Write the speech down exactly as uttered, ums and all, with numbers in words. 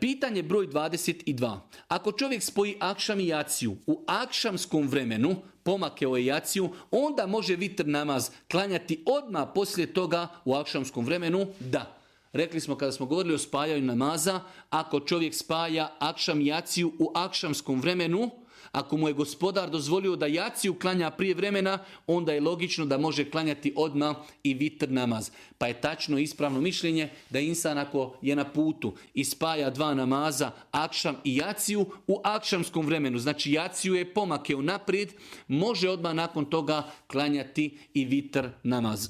Pitanje broj dvadeset dva. Ako čovjek spoji akšam i jaciju u akšamskom vremenu, pomakeo je jaciju, onda može vitr namaz klanjati odmah poslije toga u akšamskom vremenu? Da. Rekli smo kada smo govorili o spajanju namaza, ako čovjek spaja akšam i jaciju u akšamskom vremenu, ako mu je gospodar dozvolio da jaciju klanja prije vremena, onda je logično da može klanjati odmah i vitr namaz. Pa je tačno ispravno mišljenje da insan ako je na putu i spaja dva namaza, akšam i jaciju u akšamskom vremenu, znači jaciju je pomakeo naprijed, može odmah nakon toga klanjati i vitr namaz.